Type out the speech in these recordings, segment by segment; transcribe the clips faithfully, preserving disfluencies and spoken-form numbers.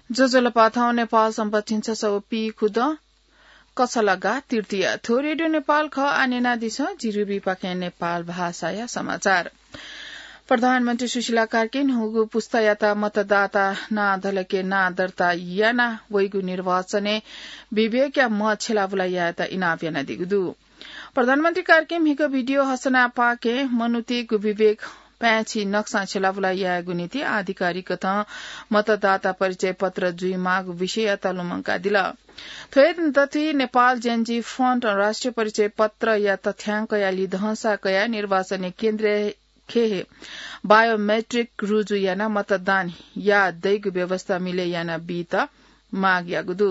ज्वजलपा, थौं नेपाल सम्बत झिंछसः व पीखुदँ कछलागा तृतीया। थ्व रेडियो नेपाल खः। आः न्यनादिसँ, जि रुबीपाखें नेपाल भाषाया समाचार। प्रधानमन्त्री सुशीला कार्कीं न्हूगु पुस्तायात मतदाता नां धलखे नां दर्ता यानाः वइगु निर्वाचनय् विवेकया म्ह छ्यलाबुला यायेत इनाप यानादीगु दु। प्रधानमन्त्री कार्कीं म्हिगः भिडियो हसनापाखें मनूतय्गु विवेक पाय्छि नक्सां छ्यलाबुला यायेगु निंतिं आधिकारिकतां मतदाता परिचय पत्र जुइमाःगु विषययात लुमंकादिल। थ्व हे दथुइ नेपाल Gen Z Front राष्ट्रिय परिचय पत्रया तथ्याङ्कया लिधंसा कयाः निर्वाचनय् केन्द्रीय खेहे बायोमेट्रिक रुजु यानाः मतदान याः दइगु व्यवस्था मिले याना बीत माग याःगु दु।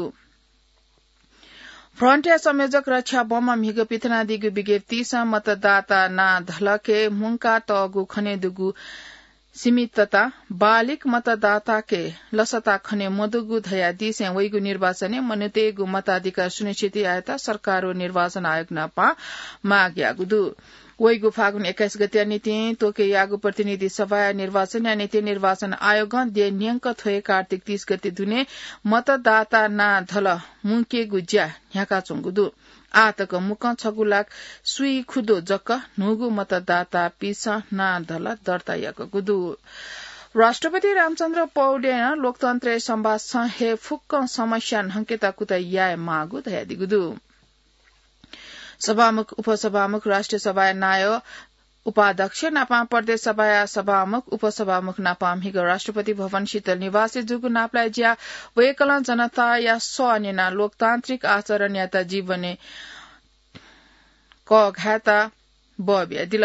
फ्रन्टया संयोजक रक्षा बमं म्हिगः पिथनादीगु विज्ञप्तिसं मतदाता नां धलखे मुंका तःगु खने दुगु सीमितता बालिक मतदाताके लसता खने मदुगु धयादीसें वइगु निर्वाचनय् मनूतय्गु मताधिकार सुनिश्चित यायेत सरकार व निर्वाचन आयोग नाप माग याःगु दु। वइगु फागुन एक्काइस गतेया निंतिं त्वके याःगु प्रतिनिधि सभाया निर्वाचनया निंतिं निर्वाचन आयोगं देय् न्यंक थ्व हे कार्तिक तीस गते दुने मतदाता नां धल मुंकेगु ज्या न्ह्याकाच्वंगु दु। आः तक मुक्कं छगू लाख स्वीखुदँ जक न्हूगु मतदातापिंसं नां धल दर्ता याकूगु दु। राष्ट्रपति रामचन्द्र पौडेलं लोकतन्त्रय् संवादसं हे फुक्कं समस्या न्हंकेत कुतः याये माःगु धयादीगु दु। सभामुख, उपसभामुख, राष्ट्रिय सभाया नायः उपाध्यक्ष नापं प्रदेश सभाया सभामुख, उपसभामुख नापं म्हिगः राष्ट्रपति भवन शीतल निवासय् जूगु नापलाये ज्याय् वय्कलं जनताया सः न्यनाः लोकतान्त्रिक आचरणयात जीवनय् कःघायेत बः बियादिल।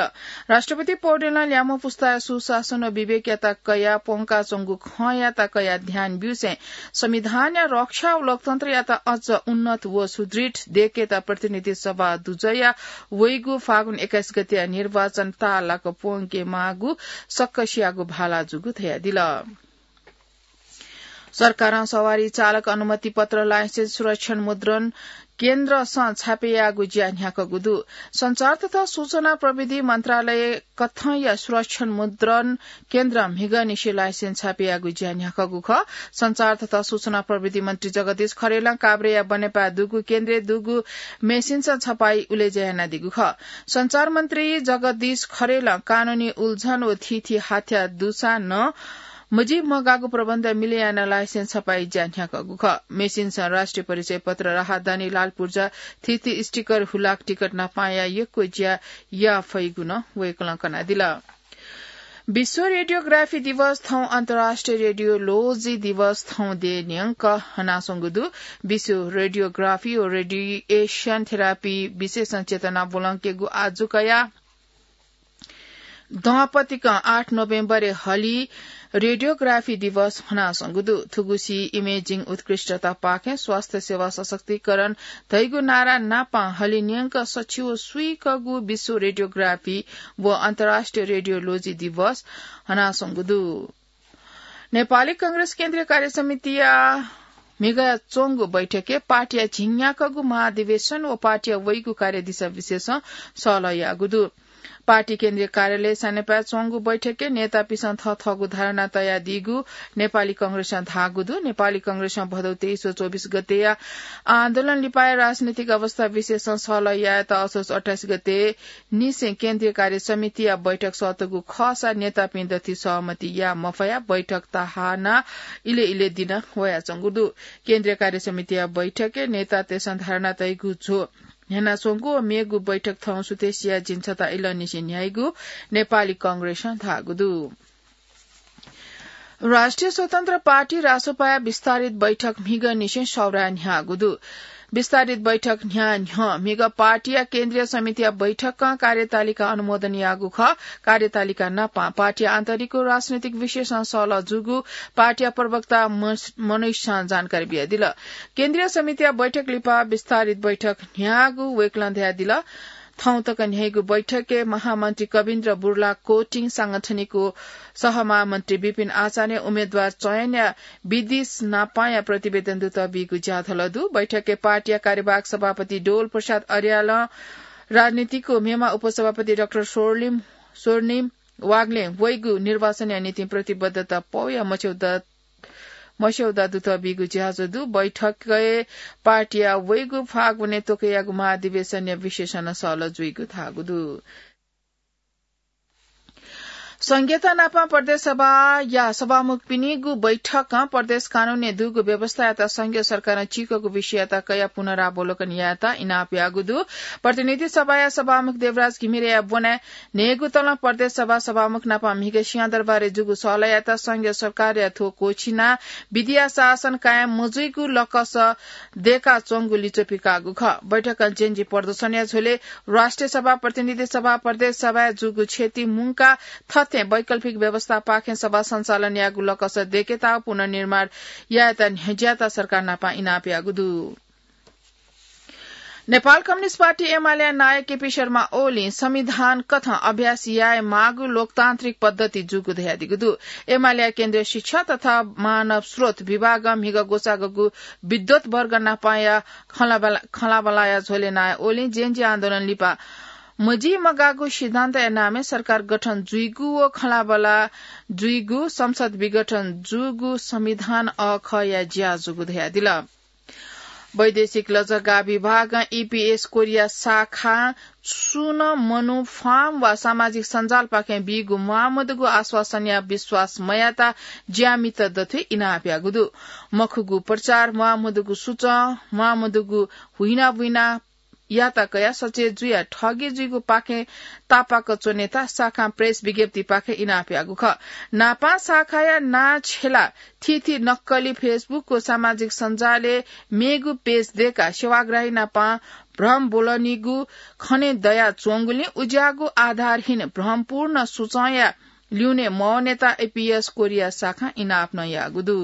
राष्ट्रपति पौडेलं ल्याःम्ह पुस्ताया सुशासन व विवेकयात कयाः प्वंकाच्वंगु खँयात कयाः ध्यान ब्यूसें संविधानया रक्षा व लोकतन्त्रयात अझ उन्नत व सुदृढ देय्केत प्रतिनिधि सभा दुजःया वइगु फागुन एक्काइस गतेया निर्वाचन ताःलाक प्वंके माःगु सक्कसियागु भाला जूगु धयादिल। सरकारं सवारी चालक अनुमति पत्र, लाइसेन्स, सुरक्षण मुद्रण केन्द्रसं छापे याःगु ज्या न्ह्याकूगु दु। सञ्चार तथा सूचना प्रविधि मन्त्रालयकथंया सुरक्षण मुद्रण केन्द्रं म्हिगःनिसें लाइसेन्स छापे याःगु ज्या न्ह्याकूगु खः। सञ्चार तथा सूचना प्रविधि मन्त्री जगदीश खरेलं काभ्रेया बनेपाय् दुगु केन्द्रय् दुगु मेसिनसं छपाई उलेज्या यानादीगु खः। सञ्चार मन्त्री जगदीश खरेलं कानूनी उल्झन व थीथी हाथ्या दुसां नं मजिमगाःगु प्रबन्ध मिले यानाः लाइसेन्स छपाई ज्या न्ह्याकूगु खः। मेसिनसं राष्ट्रिय परिचय पत्र, राहदानी, लाल पुर्जा, थीथी स्टिकर, हुलाक टिकट नापंया यक्व ज्या याये फइगु नं वय्कलं कनादिल। विश्व रेडियोग्राफी दिवस थौं अन्तर्राष्ट्रिय रेडियोलोजी दिवस थौं देय् न्यंक हनाच्वंगु दु। विश्व रेडियोग्राफी व रेडिएसन थेरापी विषयसं चेतना ब्वलंकेगु आजु कयाः दँपतिकं आठ नोभेम्बरय् हलिं रेडियोग्राफी दिवस हनाच्वंगु दु। थुगुसी इमेजिङ उत्कृष्टतापाखें स्वास्थ्य सेवा सशक्तिकरण धइगु नारा नापं हलिं न्यंक सछि व स्वीकःगु विश्व रेडियोग्राफी व अन्तर्राष्ट्रिय रेडियोलोजी दिवस हनाच्वंगु दु। नेपाली कांग्रेस केन्द्रीय कार्यसमितिया म्हिगः च्वंगु बैठकय् पार्टीया झिंन्याकःगु महाधिवेशन व पार्टीया वइगु कार्यदिशा विषयसं सहलह याःगु दु। पार्टी केन्द्रीय कार्यालय सानेपाय् च्वंगु बैठकय् नेतापिंसं थःथःगु धारणा तयादीगु नेपाली कांग्रेसं धाःगु दु। नेपाली कांग्रेसं भदौ तेइस व चौबिस गतेया आन्दोलन लिपाया राजनीतिक अवस्था विषयसं सहलह यायेत असोज अट्ठाइस गते निसें केन्द्रीय कार्य समितिया बैठक सःतूगु खःसा नेतापिं दथुइ सहमति याये मफयाः बैठक तहाना इलय् इलय् दिन वयाच्वंगु दु। केन्द्रीय कार्य समितिया बैठकय् नेतातय्सं धारणा तइगु झ्वः न्ह्यानाच्वंगु व मेगु बैठक थौं सुथसिया झिंछता इलंनिसें न्ह्याइगु नेपाली कांग्रेसं धाःगु दु। राष्ट्रिय स्वतन्त्र पार्टी, रासोपाया विस्तारित बैठक म्हिगःनिसें सौराय् न्ह्याःगु दु। विस्तारित बैठक न्ह्याः न्ह्यः म्हिगः पार्टीया केन्द्रीय समितिया बैठकं कार्यतालिका अनुमोदन याःगु खः। कार्यतालिका नापं पार्टीया आन्तरिक व राजनैतिक विषयसं सहलह जूगु पार्टीया प्रवक्ता मस-, मनोजं जानकारी बियादिल। केन्द्रीय समितिया बैठक लिपा विस्तारित बैठक न्ह्याःगु वय्कलं धयादिल। थौं तक न्ह्याइगु बैठकय् महामन्त्री कविन्द्र बुर्ला कोटिङ, सांगठनिक व सहमहामन्त्री विपिन आचार्य, उम्मेदवार चयनया विधिस नापंया प्रतिवेदन दुत बीगु ज्याझ्वलय् दु। बैठकय् पार्टीया कार्यवाहक सभापति डोल प्रसाद अर्यालं राजनीतिक व मेम्ह उपसभापति डाक्टर स्वर्णिम, स्वर्णिम वाग्लें वइगु निर्वाचनया निंतिं प्रतिबद्धता पौया मछ्यौ दत मस्यौदा दुत बीगु ज्याझ्वः दु। बैठकय् पार्टीया वइगु फागुने तोकेयागु महाधिवेशनया विशेषण सहल जुइगु धाःगु दु। संघीयता नापं प्रदेश सभाया सभामुखपिनिगु बैठकं प्रदेश कानूनय् दुगु व्यवस्थायात संघीय सरकारं चीकःगु विषययात कयाः पुनरावलोकन यायेत इनाप याःगु दु। प्रतिनिधि सभाया सभामुख देवराज घिमिरेया ब्वनाय् न्हय्गू तलं प्रदेश सभा सभामुख नापं म्हिगः सिंहदरबारय् जूगु सहलयात संघीय सरकारया थ्व क्वःछिनाः विधिया शासन कायम मजुइगु लकस दय्काच्वंगु लिच्वः पिकाःगु खः। बैठकं जेएनजी प्रदर्शनया झ्वलय् राष्ट्रिय सभा, प्रतिनिधि सभा, प्रदेश सभाय् जूगु क्षति मुंकाः थथे वैकल्पिक व्यवस्थापाखें सभा सञ्चालन यायेगु लकस दय्केत पुनर्निर्माण यायेत न्ह्यज्यात सरकार नापं इनाप याःगु दु। नेपाल कम्युनिस्ट पार्टी एमालेया नायः केपी शर्मा ओलीं संविधान कथं अभ्यास याये माःगु लोकतान्त्रिक पद्धति जूगु धयादीगु दु। एमालेया केन्द्रीय शिक्षा तथा मानव स्रोत विभागं म्हिगः ग्वसाःगु विद्वत वर्ग नापंया खँल्हाबल्हा-, खँल्हाबल्हाया झ्वलय् नायः ओलीं जेएनजी आन्दोलन लिपा मजिमगाःगु सिद्धान्तया नामय् सरकार गठन जुइगु व खँल्हाबल्हा जुइगु, संसद विघटन जूगु संविधान अःखःया ज्या जूगु धयादिल। वैदेशिक लजगाः विभागं ईपीएस कोरिया शाखां छुं नं मनू फार्म वा सामाजिक सञ्जालपाखें बीगु म्वाःमदुगु आश्वासनया विश्वास मयाता ज्यामित दथुइ इनाप याःगु दु। मखुगु प्रचार, म्वाःमदुगु सुचं, म्वाःमदुगु हुइनाबुइना याता कयाः सचेत जुयाः ठगी जुइगु पाखें तापाक च्वनेता शाखां प्रेस विज्ञप्तिपाखें इनाप याःगु खः। नापं शाखाया नां छ्यलाः थीथी नक्कली Facebook व सामाजिक सञ्जालय् मेगु पेज दय्काः सेवाग्राही नापं भ्रम ब्वलनीगु खने दयाच्वंगुलिं उज्याःगु आधारहीन भ्रमपूर्ण सुचंया ल्यूने मवनेत ईपीएस कोरिया शाखां इनाप नं याःगु दु।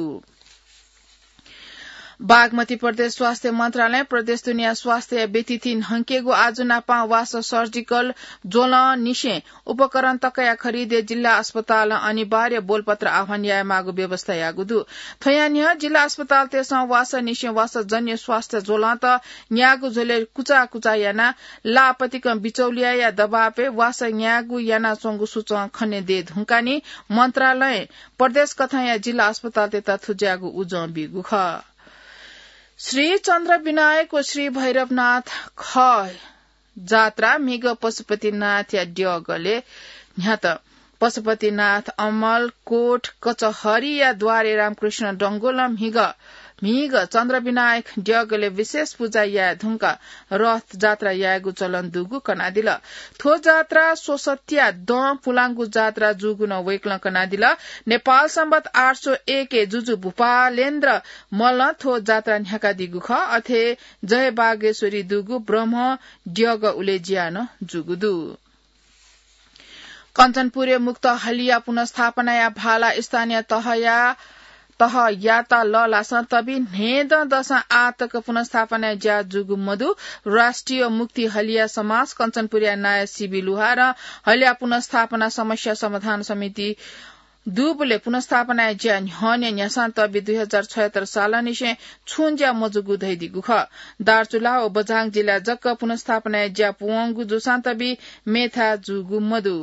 बागमती प्रदेश स्वास्थ्य मन्त्रालयं प्रदेश दुनेया स्वास्थ्य व्यतिथि न्हंकेगु आजु नापं वासः सर्जिकल ज्वलंनिसें उपकरण तकया खरिदय् जिल्ला अस्पतालं अनिवार्य बोलपत्र आह्वान यायेमाःगु व्यवस्था याःगु दु। थ्वया न्ह्यः जिल्ला अस्पतालतय्सं वासःनिसें वासःजन्य स्वास्थ्य ज्वलंत न्याःगु झ्वलय् कुचाकुचा यानाः ला आपतिकं बिचौलियाया दबावय् वासः न्यायेगु यानाच्वंगु सुचं खने दये धुंकाः नि मन्त्रालयं प्रदेश कथंया जिल्ला अस्पतालतय्त थुज्याःगु उजं बीगु खः। श्री चन्द्र विनायक व श्री भैरवनाथ खः जात्रा म्हिगः पशुपतिनाथया द्यःगलय् न्ह्यात। पशुपतिनाथ अमलकोट कचहरीया द्वारे रामकृष्ण डंगोलं म्हिगः, म्हिगः चन्द्र विनायक द्यःगलय् विशेष पुजा याये धुंकाः रथ जात्रा यायेगु चलन दुगु कनादिल। थ्व जात्रा स्वसत्या दँ पुलांगु जात्रा जूगु नं वय्कलं कनादिल। नेपाल संवत् आठ सौ एक जुजु भूपालेन्द्र मल्लं थ्व जात्रा न्ह्याकादीगु खः। अथे जय बागेश्वरी दुगु ब्रह्म द्यःगः उलेज्यां नं जूगु दु। कञ्चनपुरय् मुक्त हलिया पुनर्स्थापनाया भाला स्थानीय तहया, तहयात लःल्हासं तबि न्हय्दँ दसं आःतक पुनर्स्थापनाया ज्या जूगु मदु। राष्ट्रिय मुक्ति हलिया समाज कञ्चनपुरया नायः सिबी लुहारं हलिया पुनर्स्थापना समस्या समाधान समिति दुबलय् पुनर्स्थापनाया ज्या न्ह्यःने न्ह्यासां तबि दुई हजार छयत्तर सालंनिसें छुं ज्या मजूगु धयादीगु खः। दार्चुला व बझाङ जिल्लाय् जक पुनर्स्थापनाया ज्या पूवंगु जूसां तबि मेथाय् जूगु मदु।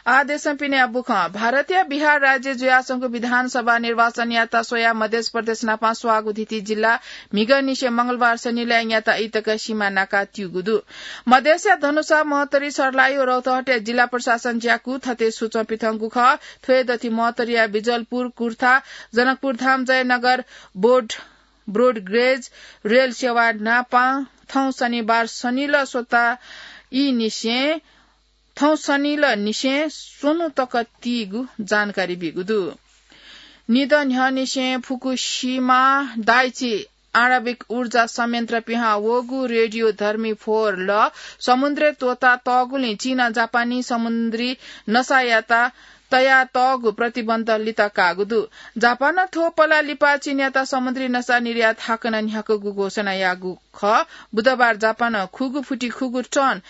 आः देशं पिनेया बुखँ। भारतया बिहार राज्य जुयाच्वंगु विधानसभा निर्वाचनयात स्वयाः मधेस प्रदेश नापं स्वाःगु धिति जिल्ला म्हिगःनिसें मंगलबार सनिलय् न्याता इतक सिमा नाकाः त्यूगु दु। मधेसया धनुषा, महोत्तरी, सर्लाही व रौतहटया जिल्ला प्रशासन ज्याकू थथे सुचं पिथंगु खः। थ्वय् दथि महोत्तरीया बिजलपुर, कुर्था, जनकपुरधाम, जयनगर, बोर्ड, ब्रोडगेज रेल सेवा नापं थौं शनिबार सनिल स्वता ई निसें, थौं शनिल निसें स्वन्हु तक तीगु जानकारी बीगु दु। निदँ न्ह्यःनिसें फुकुशिमा दाइची आणविक ऊर्जा संयन्त्र पिहां वःगु रेडियोधर्मी फोहोर लः समुद्रय् त्वःता तःगुलिं चीनं जापानी समुद्री नसायात तया तःगु प्रतिबन्ध लित काःगु दु। जापानं थ्व पला लिपा चीनयात समुद्री नसा निर्यात हाकनं न्ह्याकूगु घोषणा याःगु खः। बुधबार जापानं खुगू फुटि खुगू टन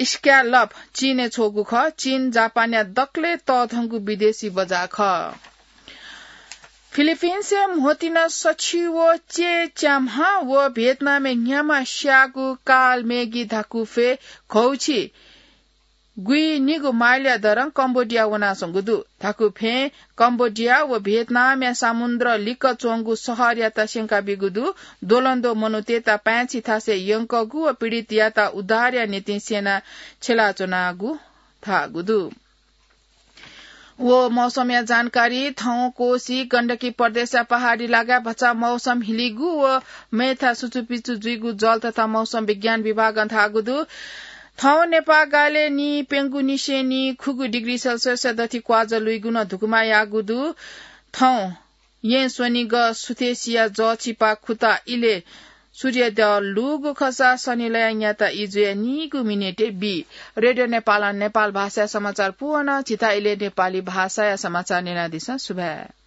स्क्यालप चीनय् छ्वःगु खः। चीन जापानया दकलय् तःधंगु विदेशी बजार खः। फिलिपिन्सय् म्होतिना सछि व चे च्याम्हा व भियतनामय् न्ह्याम्हा स्याःगु काल मेगी धाकु फे घौछि गुइनिगु माइलया दरं कम्बोडिया वनाच्वंगु दु। धाकु फँय् कम्बोडिया व भियतनामया समुद्र लिक्क च्वंगु शहरयात स्यंका बीगु दु। द्वलंद्वः मनूतय्त पाय्छि थासय् यंकूगु व पीडितयात उद्धारया निंतिं स्यना छ्यलाच्वनागु धाःगु दु। व मौसमया जानकारी। थौं कोशी गण्डकी प्रदेशया पहाडी लागाय् भचा मौसम हिलिगु व मय्था सुचुपिचु जुइगु जल तथा मौसम विज्ञान विभागं धाःगु दु। थौं नेपाः गालय् नि प्यंगू निसें नि खुगू डिग्री सेल्सियसया दथि क्वाजः लुइगु नं धुकुमा याःगु दु। थौं येँ स्वनिगः सुथय्सिया जःछिपा खुता इलय् सूर्योदय लूगु खःसा सनिलया न्याता ई जुया नीगू मिनेटय् बी। रेडियो नेपालं नेपाल भाषाया समाचार पूवना। झीत इलय् नेपाली भाषाया समाचार न्यनादिसँ। सुभाय्।